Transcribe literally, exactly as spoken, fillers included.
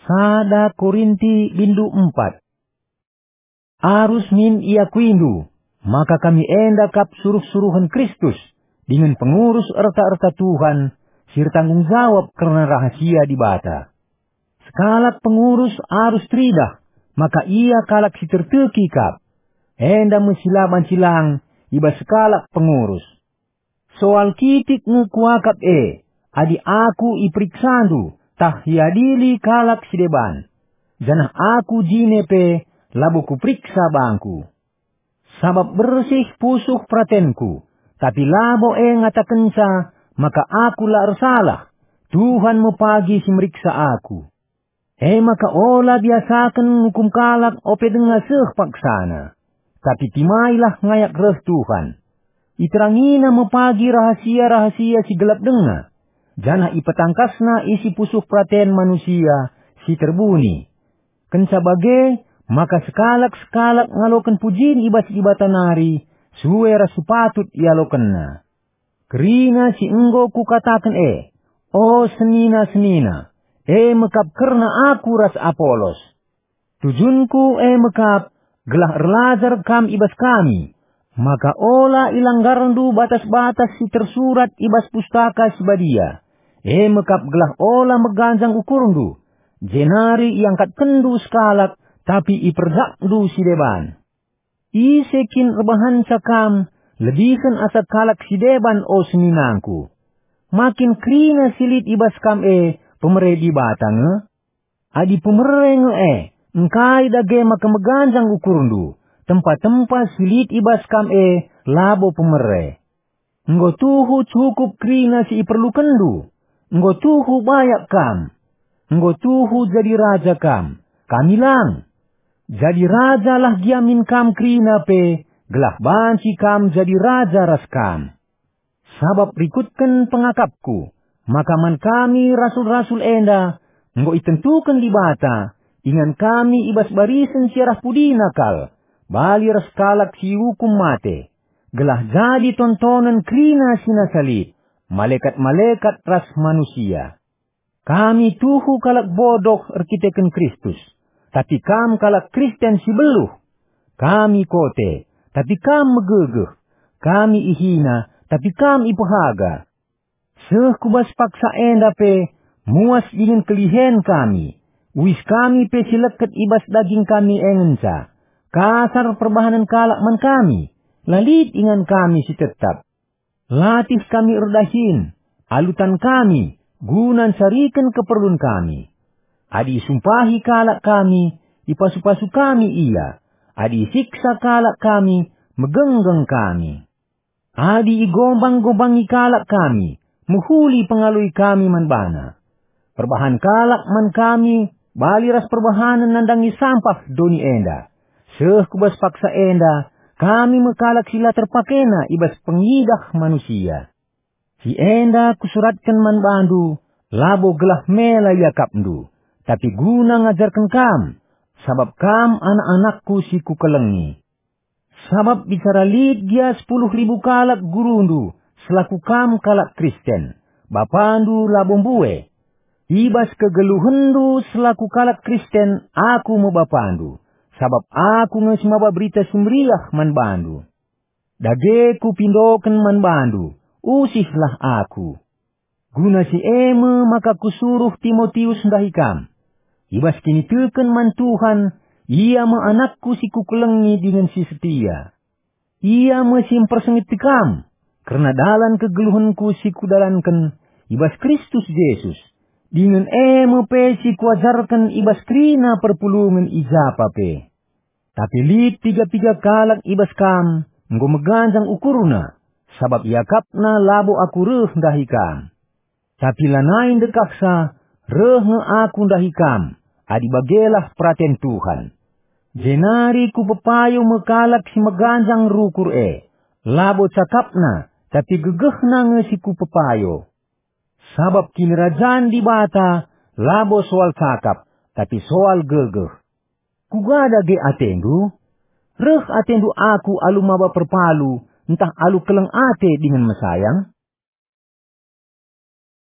Sada Korinti bindu empat. Arus min iakuindu, maka kami enda kap suruh-suruhen Kristus, dingen pengurus erta-erta Tuhan, si ertanggung jawab kerna rahasia Dibata. Sekalak pengurus arus teridah, maka ia kalak si terteki kap. Enda me si la banci lang i bas sekalak pengurus. Soal kitik nge kuakap e, adi aku iperiksandu, tah iadili kalak si deban, janah aku jine pe labo kuperiksa bangku. Sabap bersih pusuh peratenku, tapi labo e ngatakenca maka aku la ersalah, Tuhan me pagi si meriksa aku. E maka ola biasaken ngukum kalak ope denga seh paksana, tapi timailah ngayak reh Tuhan. IterangIna me pagi rahasia-rahasia si gelap denga, janah ipetangkasNa isi pusuh peraten manusia si terbuni. Kenca bage, maka sekalak-sekalak ngaloken pujin i bas Dibata nari, sue ras si patut ialokenna. Kerina si enggo kukataken e, o senina-senina, e me kap kerna aku ras Apolos. Tujunku e me kap gelah erlajar kam i bas kami, maka ola ilanggarndu batas-batas si tersurat i bas Pustaka Si Badia, e me kap gelah ola meganjang ukurndu, jenari iangkatkenndu sekalak, tapi iperdakndu si deban. Ise kin erbahanca kam lebihen asa kalak si deban, o seninangku? Ma kin kerina si lit i bas kam e pemere Dibata nge? Adi pemere nge e, engkai dage maka meganjang ukurndu, tempa-tempa si lit i bas kam e labo pemere? Enggo tuhu cukup kerina si iperlukenndu. Enggo tuhu bayak kam. Enggo tuhu jadi raja kam. Kami lang. Jadi rajalah gia min kam kerina pe, gelah banci kam jadi raja ras kam. Sabap rikutken pengakapku, maka man kami rasul-rasul enda enggo itentuken Dibata, ingan kami i bas barisen si arah pudina kal, bali ras kalak si iukum mate, gelah jadi tontonen kerina si nasa lit, malekat-malekat ras manusia. Kami tuhu kalak bodoh erkiteken Kristus, tapi kam kalak Kristen si beluh. Kami kote, tapi kam megegeh. Kami ihina, tapi kam ipehaga. Seh ku bas paksa enda pe, muas dingen kelihen kami. Uis kami pe si leket i bas daging kami e ngenca. Kasar perbahanen kalak man kami, la lit ingan kami si tetap. Latih kami erdahin, alu tan kami, guna ncariken keperlun kami. Adi isumpahi kalak kami, ipasu-pasu kami ia. Adi isiksa kalak kami, megenggeng kami. Adi igombang-gombangi kalak kami, mehuli pengaloi kami man bana. Perbahan kalak man kami bali ras perbahanen nandangi sampah doni enda. Seh ku bas paksa enda, kami me kalak si la terpakena i bas pengidah manusia. Si enda kusuratken man bandu, labo gelah mela iakapndu, tapi guna ngajarken kam, sabap kam anak-anakku si kukelengi. Sabap bicara lit gia sepuluh ribu kalak gurundu selaku kam kalak Kristen, bapandu labo mbue. I bas kegeluhenndu selaku kalak Kristen aku me bapandu, sabap aku nge si maba Berita Si Meriah man bandu. Dage kupindoken man bandu, usihlah aku. Guna si e me maka kusuruh Timotius ndahi kam. I bas kiniteken man Tuhan, ia me anakku si kukelengi dingen si setia. Ia me si mpersingeti kam kerna dalan kegeluhenku si kudalanken i bas Kristus Jesus, dingen e me pe si kuajarken i bas kerina perpulungen i japa pe. Tapi lit piga-piga kalak i bas kam enggo meganjang ukurna, sabap iakapna labo aku reh ndahi kam. Tapi lanai ndekahsa, reh nge aku ndahi kam, adi bagelah peraten Tuhan. Jenari kupepayo me kalak si meganjang rukur e, labo cakapna, tapi gegehna nge si kupepayo. Sabap Kinirajan Dibata labo soal cakap, tapi soal gegeh. Kuga dage atendu? Reh atendu aku alu maba perpalu, ntah alu keleng ate dingen mesayang?